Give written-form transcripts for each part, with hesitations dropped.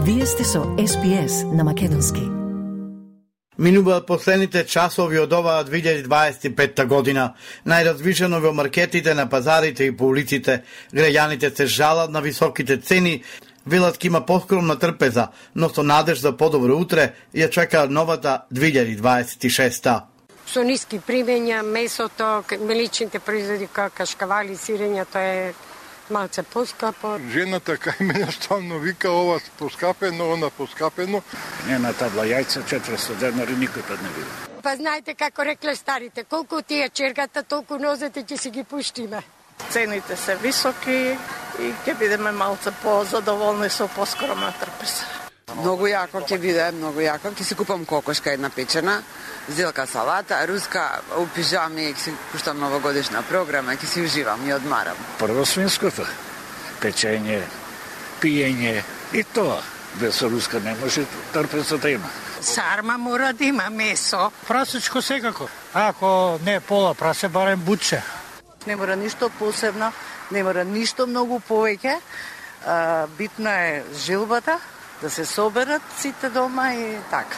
Вие сте со SPS на македонски. Минуваат последните часови од оваа 2025 година. Најразвишено во маркетите, на пазарите и по улиците. Граѓаните се жалат на високите цени, велат ке има поскромна трпеза, но со надеж за подобро утре ја чека новата 2026. Со ниски примења, месото, млечните производи, како кашкавали, сирење, тоа е малце поскапо. Жената кај мене стално вика ова поскапено, она поскапено. Не на табла јајца 400 денари никој пат не биде. Па знаете како рекле старите, колку ти е чергата, толку нозете ќе си ги пуштиме. Цените се високи и ќе бидеме малце позадоволни со поскромна трпеза. Многу јако ќе биде, многу јако. Ќе си купам кокошка една печена, зелка салата, руска, у пижами, ќе си пуштам новогодишна програма, ќе си уживам и одмарам. Прво свинското, печење, пиење и тоа. Без руска не може трпеза да има. Сарма мора да има месо. Прасечко секако. Ако не пола прасе, барем бутче. Не мора ништо посебно, не мора ништо многу повеќе. Битна е жилбата, да се соберат сите дома и така.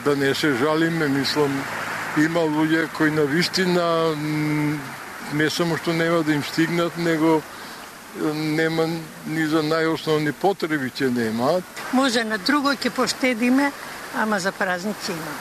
Да не се жалиме, мислам, има луѓе кои на вистина не само што нема да им стигнат, него нема ни за најосновни потреби ќе немаат. Може на друго ќе поштедиме, ама за празници имаме.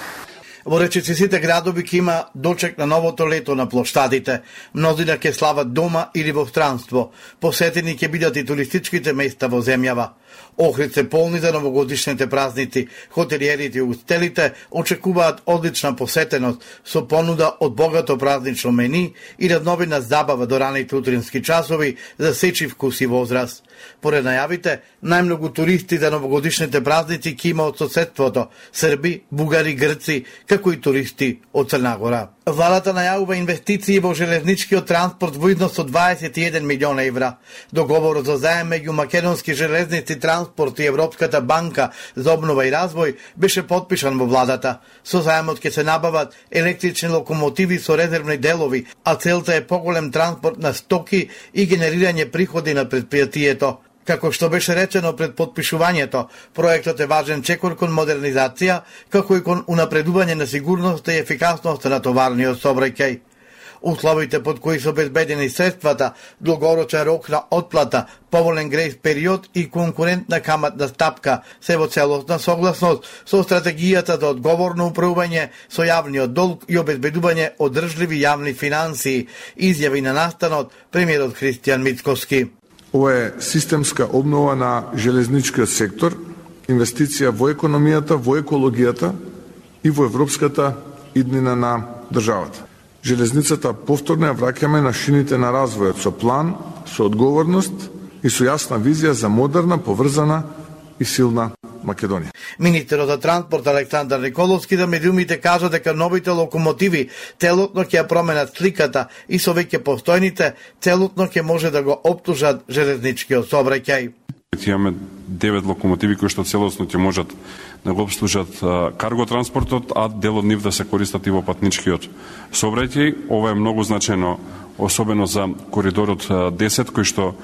Во речиси сите градови ќе има дочек на новото лето на плоштадите. Мнозина ќе слават дома или во странство. Посетени ќе бидат и туристичките места во земјава. Охрид се полни за новогодишните празници. Хотелиерите и устелите очекуваат одлична посетеност со понуда од богато празнично мени и разновидна забава до раните утрински часови за сечи вкус и возраст. Поред најавите, најмногу туристи за новогодишните празници ќе има од соседството, срби, бугари, грци, како и туристи од Црна Гора. Владата најавува инвестиции во железничкиот транспорт во износ од 21 милиона евра. Договорот за заем меѓу Македонски железници транспорт и Европската банка за обнова и развој беше потпишан во владата. Со заемот ќе се набават електрични локомотиви со резервни делови, а целта е поголем транспорт на стоки и генерирање приходи на предпријатието. Како што беше речено пред потпишувањето, проектот е важен чекор кон модернизација, како и кон унапредување на сигурноста и ефикасноста на товарниот сообраќај. Условите под кои се обезбедени средствата, долгорочен рок на отплата, поволен грејс период и конкурентна каматна стапка се во целосна согласност со стратегијата за одговорно управување со јавниот долг и обезбедување одржливи јавни финансии, изјави на настанот премиерот Христијан Мицкоски. Ова е системска обнова на железничкиот сектор, инвестиција во економијата, во екологијата и во европската иднина на државата. Железницата повторно ја враќаме на шините на развојот со план, со одговорност и со јасна визија за модерна, поврзана и силна Македонија. Министерот за транспорт Александар Николовски за медиумите кажа дека новите локомотиви целотно ќе ја променат сликата и со веќе постојните целотно ќе може да го оптужат железничкиот сообраќај. Имаме 9 локомотиви кои што целосно ќе можат да го обслужат карго транспортот, а дел од нив да се користат и во патничкиот сообраќај. Ова е многу значено, особено за коридорот 10 кој што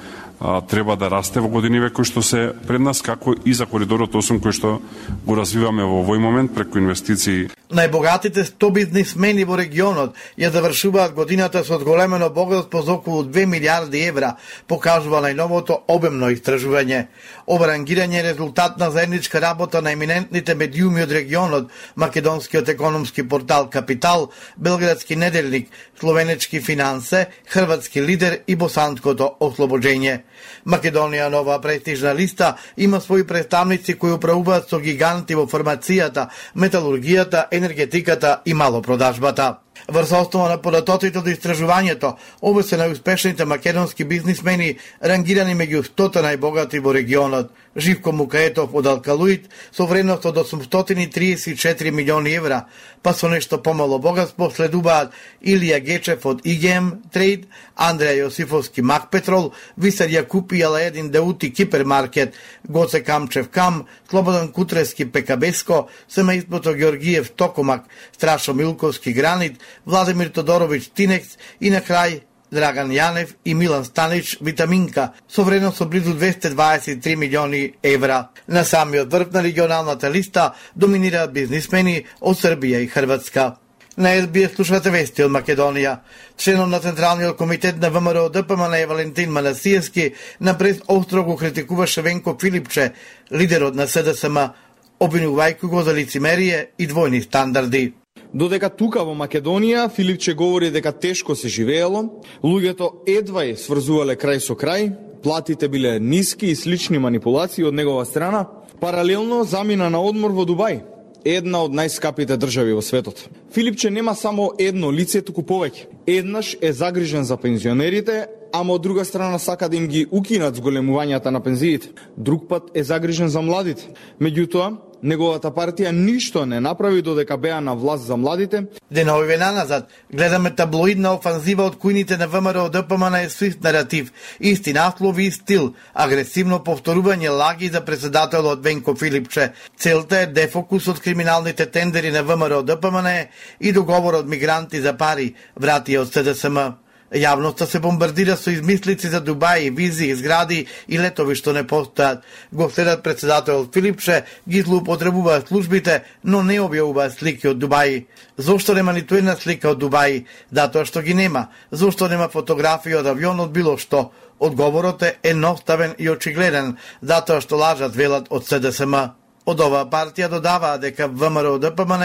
треба да расте во годиниве кои што се пред нас, како и за коридорот 8 кој што го развиваме во овој момент преку инвестиции. Најбогатите 100 бизнисмени во регионот ја завршуваат годината со одголемено богатство за околу 2 милиарди евра, покажува најновото обемно истражување. Ова рангирање е резултат на заедничка работа на еминентните медиуми од регионот, македонскиот економски портал Капитал, Белградски неделник, Словенечки финансе, Хрватски лидер и Босанското ослобоđenje. Македонија на оваа престижна листа има своји представници кои управуваат со гиганти во фармацијата, металургијата, енергетиката и малопродажбата. Врз основа на податоците од истражувањето, ова се најуспешните македонски бизнисмени рангирани меѓу 100 најбогати во регионот. Живко Мукаетов од Алкалуит со вредност од 834 милиони евра, па со нешто помало богатство следуваат Илија Гечев од ИГМ Трейд, Андреја Јосифовски Макпетрол, Висар Јакупи Алаедин Деути Кипермаркет, Гоце Камчев Кам, Слободан Кутрески Пекабеско, семејството Георгиев Токомак, Страшо Милковски Гранит, Владимир Тодоровиќ Тинекс и на крај Драган Јанев и Милан Станич Витаминка со вредност од близу 223 милиони евра. На самиот врв на регионалната листа доминираат бизнисмени од Србија и Хрватска. На СБС слушате вести од Македонија. Членот на Централниот комитет на ВМРО ДПМН Валентин Манасиевски напред остро го критикуваше Венко Филипче, лидерот на СДСМ, обвинувајќи го за лицемерие и двојни стандарди. Додека тука во Македонија Филипче говори дека тешко се живеело, луѓето едвај сврзувале крај со крај, платите биле ниски и слични манипулации од негова страна, паралелно замина на одмор во Дубај, една од најскапите држави во светот. Филипче нема само едно лице, туку повеќе. Еднаш е загрижен за пензионерите, ама од друга страна сака да им ги укинат зголемувањата на пензиите. Друг пат е загрижен за младите. Меѓутоа, неговата партија ништо не направи додека беа на власт за младите. Денови наназад гледаме таблоидна офанзива од кујните на ВМРО ДПМН со ист наратив, исти наслови и стил, агресивно повторување лаги за председателот Венко Филипче. Целта е дефокус од криминалните тендери на ВМРО ДПМН и договор од мигранти за пари, врати од СДСМ. Јавноста се бомбардира со измислици за Дубај, визи, згради и летови што не постојат. Го следат председателот Филипче, ги злоупотребуваат службите, но не објавуваат слики од Дубај. Зошто нема ниту една слика од Дубај? Затоа што ги нема. Зошто нема фотографија од авионот било што? Одговорот е едноставен и очигледен, затоа што лажат, велат од СДСМ. Од оваа партија додаваа дека ВМРО ДПМН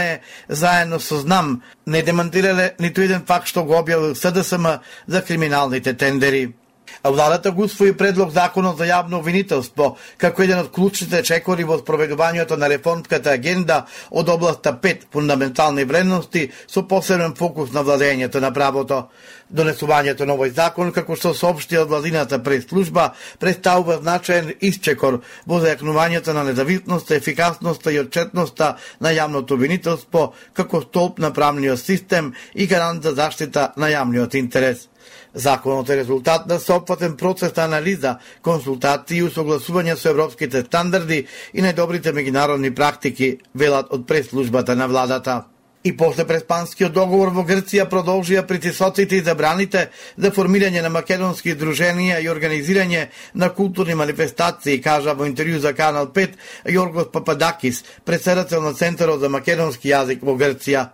заедно со ЗНАМ не демантирале ниту еден факт што го објавил СДСМ за криминалните тендери. Владата го усвои предлог законот за јавно обвинителство како еден од клучните чекори во спроведувањето на реформската агенда од областа 5 фундаментални вредности со посебен фокус на владењето на правото. Донесувањето на овој закон, како што соопшти од владината пресслужба, представува значаен исчекор во зајакнувањето на независноста, ефикасноста и отчетноста на јавното обвинителство како столб на правниот систем и гарант за заштита на јавниот интерес. Законот е резултат на соопфатен процес на анализа, консултации и усогласување со европските стандарди и најдобрите меѓународни практики, велат од пресслужбата на владата. И после преспанскиот договор во Грција продолжија притисоците и забраните за формирање на македонски друженија и организирање на културни манифестации, кажа во интервју за Канал 5 Јоргос Пападакис, председател на Центарот за македонски јазик во Грција.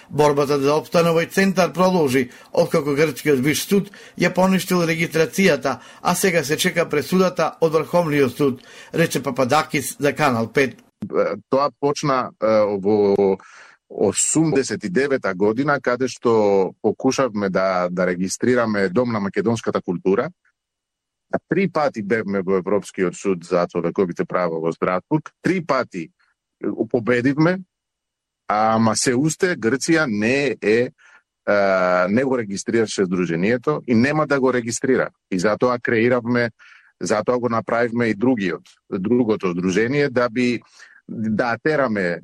Борбата за опстан овој центар продолжи, откако грчкиот виш суд ја поништил регистрацијата, а сега се чека пресудата од Врховниот суд, рече Пападакис за Канал 5. Тоа почна во 89-та година, каде што покушавме да регистрираме Дом на македонската култура. 3 пати бевме во Европскиот суд за човековите права во Страсбург, 3 пати победивме, ама се уште Грција не го регистрираше здруженијето и нема да го регистрира. И затоа затоа го направивме и другото здружение да тераме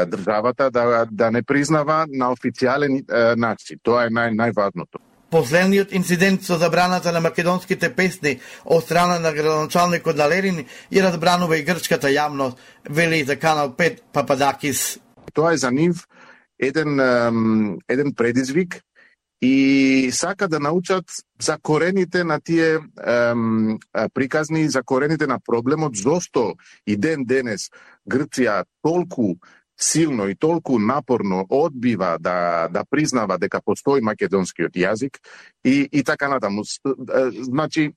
државата да не признава на официјален начин. Тоа е најважното. Последниот инцидент со забраната на македонските песни од страна на градоначалникот на Лерин ја разбранува и грчката јавност, вели за Канал 5 Пападакис. Тоа е за нив еден предизвик и сака да научат за корените на тие приказни, за корените на проблемот, зошто и денес Грција толку силно и толку напорно одбива да признава дека постои македонскиот јазик и така натаму. Значи,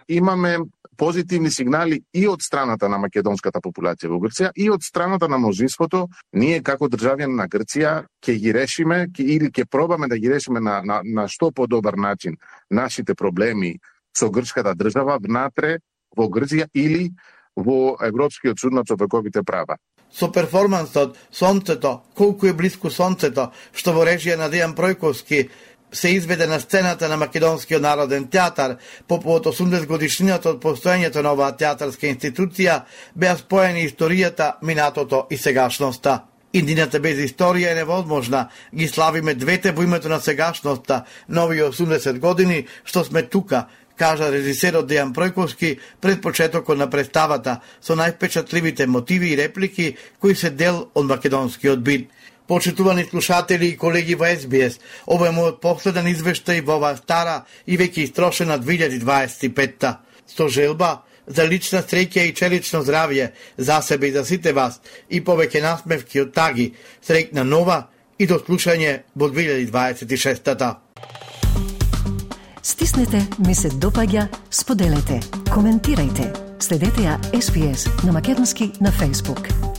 имаме позитивни сигнали и од страната на македонската популација во Грција и од страната на мнозинството. Ние како државјани на Грција ќе ги решиме или ќе пробаме да ги решиме на што подобар начин нашите проблеми со грчката држава внатре во Грција или во Европскиот суд на човековите права. Со перформансот Сонцето, колку е блиску сонцето, што во режија на Дејан Пројковски се изведе на сцената на Македонскиот народен театар по повод 80 годишнината од постоењето на оваа театарска институција, беа споени историјата, минатото и сегашноста. Иднината без историја е невозможна. Ги славиме двете во името на сегашноста, нови 80 години што сме тука, кажа режисерот Дејан Пројковски пред почетокот на представата со највпечатливите мотиви и реплики кои се дел од македонскиот бит. Почитувани слушатели и колеги во СБС, ова е мојот последен извештај во оваа стара и веќе истрошена 2025-та. Со желба за лична среќа и челично здравје за себе и за сите вас и повеќе насмевки од таги. Среќна нова и до слушање во 2026-та. Стиснете, ми се допаѓа, споделете, коментирајте. Следете ја SPS на Македонски на Facebook.